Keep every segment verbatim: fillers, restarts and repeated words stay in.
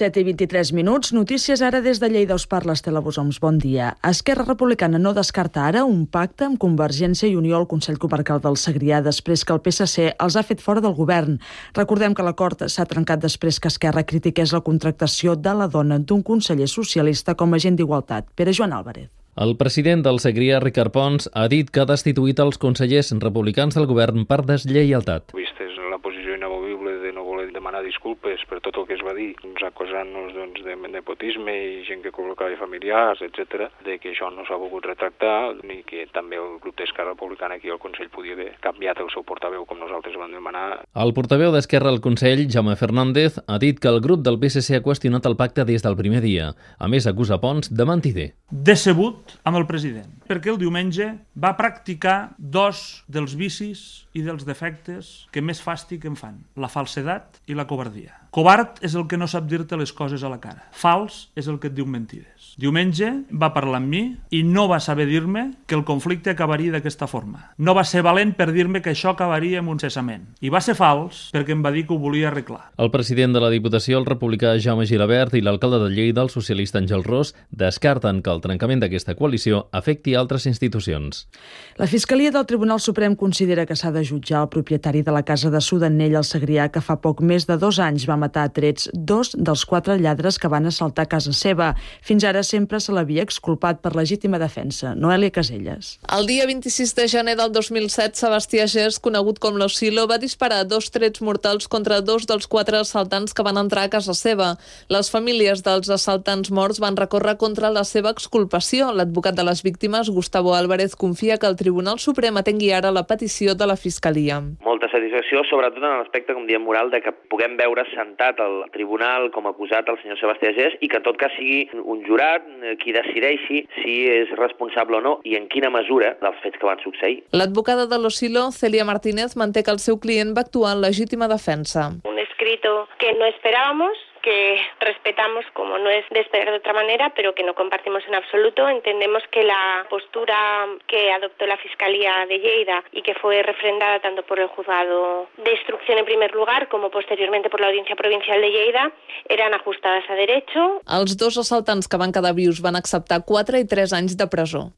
set i vint-i-tres minuts, notícies ara des de Lleida. Us parla Estela Bosoms, bon dia. Esquerra Republicana no descarta ara un pacte amb Convergència i Unió al Consell Comarcal del Segrià després que el P S C els ha fet fora del govern. Recordem que l'acord s'ha trencat després que Esquerra critiqués la contractació de la dona d'un conseller socialista com a agent d'igualtat. Pere Joan Álvarez. El president del Segrià, Ricard Pons, ha dit que ha destituït els consellers republicans del govern per deslleialtat. Vista és la posició inamovible de no voler demanar disculpes per tot el que es va dir, doncs, acusant-nos doncs, de nepotisme i gent que col·locava familiars, etcètera, de que això no s'ha volgut retractar, ni que també el grup d'Esquerra Republicana aquí al Consell podia haver canviat el seu portaveu com nosaltres vam demanar. El portaveu d'Esquerra al Consell, Jaume Fernández, ha dit que el grup del P S C ha qüestionat el pacte des del primer dia. A més, acusa Pons de mentider. Decebut amb el president, perquè el diumenge va practicar dos dels vicis i dels defectes que més fàstic em fan, la falsedat i la covardia. Covard és el que no sap dir-te les coses a la cara. Fals és el que et diu mentides. Diumenge va parlar amb mi i no va saber dir-me que el conflicte acabaria d'aquesta forma. No va ser valent per dir-me que això acabaria amb un cessament. I va ser fals perquè em va dir que ho volia arreglar. El president de la Diputació, el republicà Jaume Gilabert, i l'alcalde de Lleida, el socialista Àngel Ros, descarten que el trencament d'aquesta coalició afecti altres institucions. La Fiscalia del Tribunal Suprem considera que s'ha de jutjar el propietari de la casa de Sudanell al Segrià, que fa poc més de dos anys va matar a trets dos dels quatre lladres que van assaltar casa seva. Fins ara sempre se l'havia exculpat per legítima defensa. Noèlia Caselles. El dia vint-i-sis de gener del dos mil set, Sebastià Gers, conegut com l'Osilo, va disparar dos trets mortals contra dos dels quatre assaltants que van entrar a casa seva. Les famílies dels assaltants morts van recórrer contra la seva exculpació. L'advocat de les víctimes, Gustavo Álvarez, confia que el Tribunal Suprem atengui ara la petició de la Fiscalia. Molta satisfacció, sobretot en l'aspecte, com diem, moral, de que puguem veure sentat al tribunal com acusat el senyor Sebastià Gers i que en tot cas sigui un jurat qui decideixi si és responsable o no i en quina mesura dels fets que van succeir. L'advocada de l'Osilo, Celia Martínez, manté que el seu client va actuar en legítima defensa. Un escrito que no esperábamos, que respetamos como no es de esperar de otra manera, pero que no compartimos en absoluto. Entendemos que la postura que adoptó la Fiscalía de Lleida y que fue refrendada tanto por el juzgado de instrucción en primer lugar como posteriormente por la Audiencia Provincial de Lleida eran ajustadas a derecho. Els dos assaltants que van quedar vius van acceptar quatre i tres anys de presó.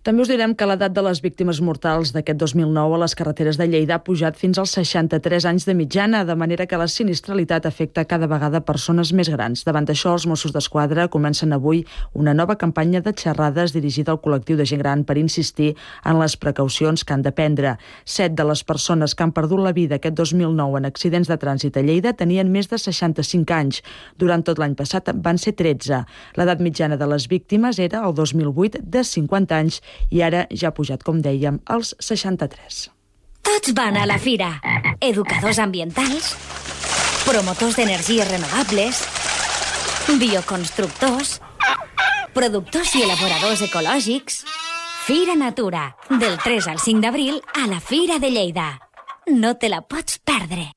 També us direm que l'edat de les víctimes mortals d'aquest dos mil nou a les carreteres de Lleida ha pujat fins als seixanta-tres anys de mitjana, de manera que la sinistralitat afecta cada vegada persones més grans. Davant d'això, els Mossos d'Esquadra comencen avui una nova campanya de xerrades dirigida al col·lectiu de gent gran per insistir en les precaucions que han de prendre. Set de les persones que han perdut la vida aquest dos mil nou en accidents de trànsit a Lleida tenien més de seixanta-cinc anys. Durant tot l'any passat van ser tretze. L'edat mitjana de les víctimes era, el dos mil vuit, de cinquanta anys i ara ja ha pujat, com dèiem, als seixanta-tres. Tots van a la fira. Educadors ambientals, promotors d'energies renovables, bioconstructors, productors i elaboradors ecològics. Fira Natura, del tres al cinc d'abril a la Fira de Lleida. No te la pots perdre.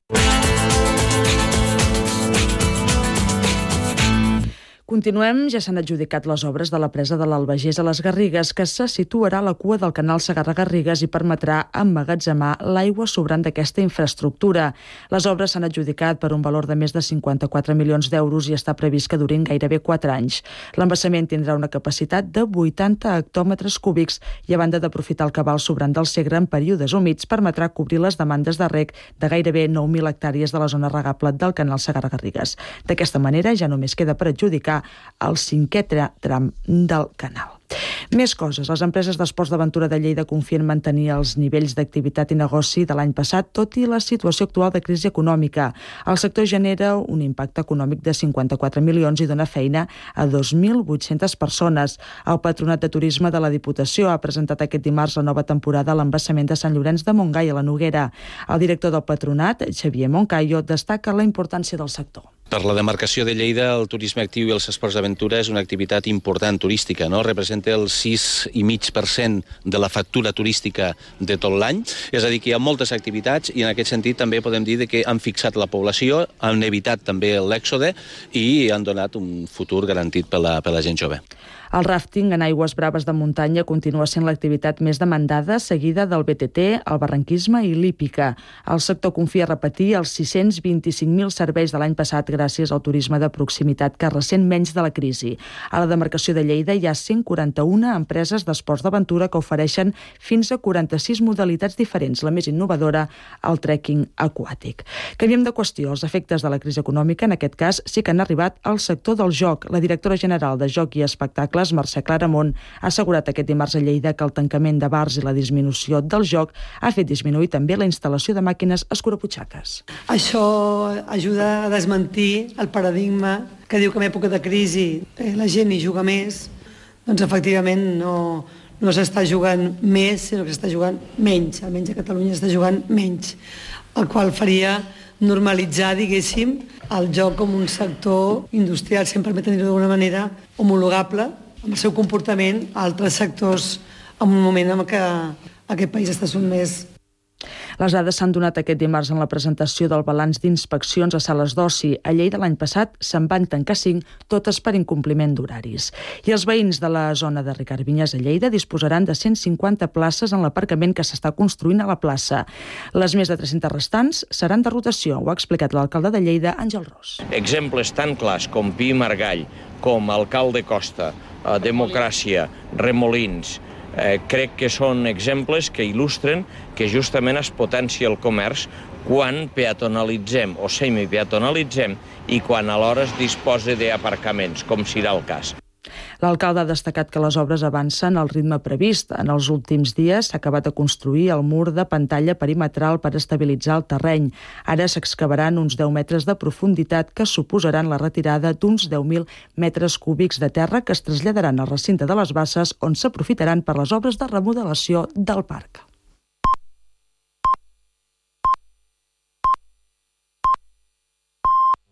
Continuem, ja s'han adjudicat les obres de la presa de l'Albagés a les Garrigues, que se situarà a la cua del canal Segarra-Garrigues i permetrà emmagatzemar l'aigua sobrant d'aquesta infraestructura. Les obres s'han adjudicat per un valor de més de cinquanta-quatre milions d'euros i està previst que durin gairebé quatre anys. L'embassament tindrà una capacitat de vuitanta hectòmetres cúbics i, a banda d'aprofitar el cabal sobrant del Segre en períodes humits, permetrà cobrir les demandes de reg de gairebé nou mil hectàrees de la zona regable del canal Segarra-Garrigues. D'aquesta manera ja només queda per adjudicar el cinquè tram del canal. Més coses. Les empreses d'esports d'aventura de Lleida confien mantenir els nivells d'activitat i negoci de l'any passat, tot i la situació actual de crisi econòmica. El sector genera un impacte econòmic de cinquanta-quatre milions i dona feina a dos mil vuit-centes persones. El Patronat de Turisme de la Diputació ha presentat aquest dimarts la nova temporada a l'embassament de Sant Llorenç de Montgai, a la Noguera. El director del Patronat, Xavier Moncayo, destaca la importància del sector. Per la demarcació de Lleida, el turisme actiu i els esports d'aventura és una activitat important turística, no? Representa el sis coma cinc per cent de la factura turística de tot l'any. És a dir, que hi ha moltes activitats i en aquest sentit també podem dir que han fixat la població, han evitat també l'èxode i han donat un futur garantit per la, per la gent jove. El ràfting en aigües braves de muntanya continua sent l'activitat més demandada, seguida del B T T, el barranquisme i l'hípica. El sector confia repetir els sis-cents vint-i-cinc mil serveis de l'any passat gràcies al turisme de proximitat que ressent menys de la crisi. A la demarcació de Lleida hi ha cent quaranta-una empreses d'esports d'aventura que ofereixen fins a quaranta-sis modalitats diferents. La més innovadora, el trekking aquàtic. Canviem de qüestió. Els efectes de la crisi econòmica, en aquest cas, sí que han arribat al sector del joc. La directora general de Joc i Espectacles, Mercè Claramont, ha assegurat aquest dimarts a Lleida que el tancament de bars i la disminució del joc ha fet disminuir també la instal·lació de màquines escuraputxaques. Això ajuda a desmentir el paradigma que diu que en època de crisi la gent hi juga més. Doncs efectivament no, no s'està jugant més, sinó que s'està jugant menys. Almenys a Catalunya s'està jugant menys, el qual faria normalitzar, diguéssim, el joc com un sector industrial, si em permeten dir-ho d'alguna manera, homologable amb el seu comportament a altres sectors en un moment en què aquest país està sotmès. Les dades s'han donat aquest dimarts en la presentació del balanç d'inspeccions a sales d'oci. A Lleida l'any passat se'n van tancar cinc, totes per incompliment d'horaris. I els veïns de la zona de Ricard Vinyes a Lleida disposaran de cent cinquanta places en l'aparcament que s'està construint a la plaça. Les més de tres-centes restants seran de rotació, ho ha explicat l'alcalde de Lleida, Àngel Ros. Exemples tan clars com Pi i Margall, com Alcalde Costa, Democràcia, Remolins, Eh, crec que són exemples que il·lustren que justament es potencia el comerç quan peatonalitzem o semipeatonalitzem i quan alhora es disposa d'aparcaments, com serà el cas. L'alcalde ha destacat que les obres avancen al ritme previst. En els últims dies s'ha acabat de construir el mur de pantalla perimetral per estabilitzar el terreny. Ara s'excavaran uns deu metres de profunditat que suposaran la retirada d'uns deu mil metres cúbics de terra que es traslladaran al recinte de les Basses, on s'aprofitaran per les obres de remodelació del parc.